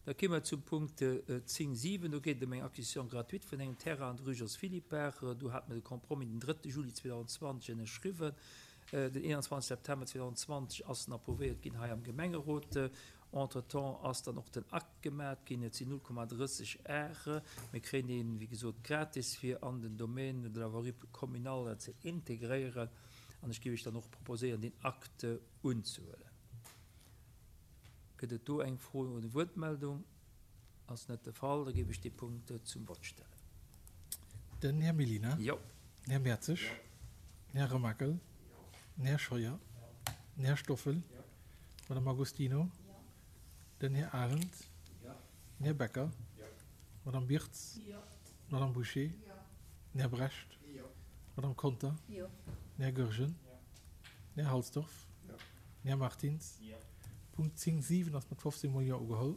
Da kéime mer zum Punkt 10, 7. Do geet et ëm eng Acquisition gratuite vun engem Terrain an der Rue Jos Philippart. Do hate mer de Compromis den 3. Juli 2020 ënnerschriwwen. Den 21 September 2020 ass en approuvéiert ginn hei am Gemengerot. Entretemps ass dann och den Akt gemat ginn. Et sinn 0,30 Ar. Mir kréien deen, wéi gesot, gratis, fir an den Domaine de la voirie communale ze integréieren. An ech géif Iech dann och proposéieren, deen Akt unzehuelen. Gëtt et do eng Fro oder Wuertmeldung? Ass net de Fall. Da géif ech dee Punkt zum Vott stellen. Den Här Mellina. Jo. Den Här Mertzig. Jo. Den Här Remakel. Jo. Den Här Scheuer. Jo. Den Här Stoffel. Jo. D'Madame Agostino. Jo. Den Här Arendt. Jo. Den Här Becker. Jo. D'Madame Birtz. Jo. D'Madame Bouché. Jo. Den Här Brecht. Jo. D'Madame Conter. Jo. Den Här Goergen. Jo. Den Här Halsdorf. Jo. Den Här Martins. Jo. Punkt 10, 7 ass mat 15 mol Jo ugeholl.